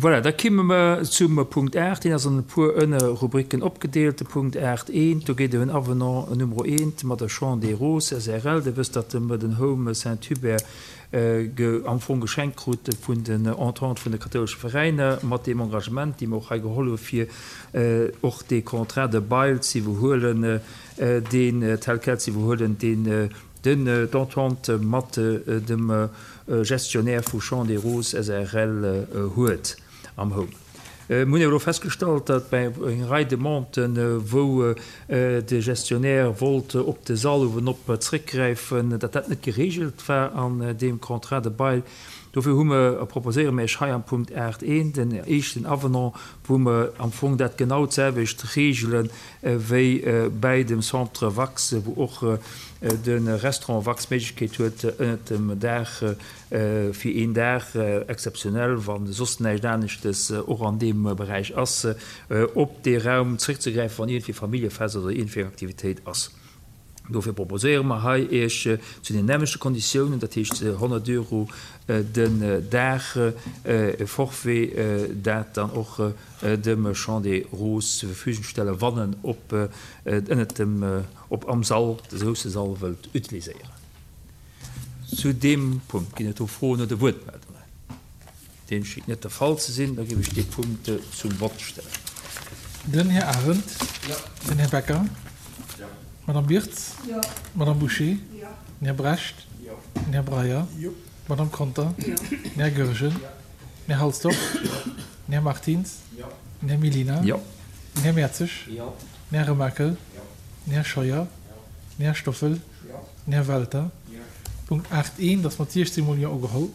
Voilà, da kimme mer zum Punkt 8. Deen ass an e puer Ënnerrubriken opgedeelt. De Punkt 8 eent, do geet ëm en Avenant Numero eent mat der Champ des Roses SRL. Dir wësst, datt mer den Home Saint-Hubert am Fong geschenkt krute vun den Entente vun de kathoulesche Veräiner, mat deem Engagement, dee mer och hei geholl hu fir och dee Contrat de bail ze iwwerhuelen, deen tel quel ze iwwerhuelen, deen Den d'Entente mat dem Gestionnaire vu Champs des Roses srl huet am Home. Mir hunn awer elo festgestallt, datt bei enger Rei Demanden, wou de Gestionnaire wollt op de Sall uewenop zréckgräifen, datt dat net geregelt war an deem Contrat de bail. Dofir hu mer, proposéiere mir Iech hei am Punkt 8 een, den éischten Avenant, wou mer am Fong dat genau d'selwecht regele wéi bäi dem Centre Wax, wou och de Restaurant Wax d'Méiglechkeet huet, ënnert dem Daach fir een Dag exzeptionell, wa soss näischt aneschtes och an deem Beräich ass, op dee Raum zréckzegräifen, wann iergendwéi Familljefest oder iergendwéi eng Aktivitéit ass. Dofir proposéiere mer hei Iech zu den nämlechte Konditiounen, dat heescht 100 Euro den Dag, e Forfait, dat dann och dem Champ des Roses zur Verfügung stellen, wann en op ënnert dem op am Sall, de grousse Sall wëllt utiliséieren. Zu deem Punkt ginn et do Froen oder Wuertmeldungen? Deem schéngt net de Fall ze sinn. Da géif ech dee Punkt zum Vott stellen. Den Här Arendt. Jo. Den Här Becker. Jo. D'Madame Wirtz. Jo. D'Madame Bouché. Jo. Den Här Brecht. Jo. Den Här Breyer. Jo. D'Madame Conter. Jo. Den Här Goergen. Jo. Den Här Halsdorf. Jo. Den Här Martins. Jo. Den Här Mellina. Jo. Den Här Mertzig. Jo. Den Här Remakel. Jo. Den Här Scheuer. Jo. Den Här Stoffel. Jo. Den Här Welter. Jo. Punkt 8 eent ass mat 16 mol Jo ugeholl.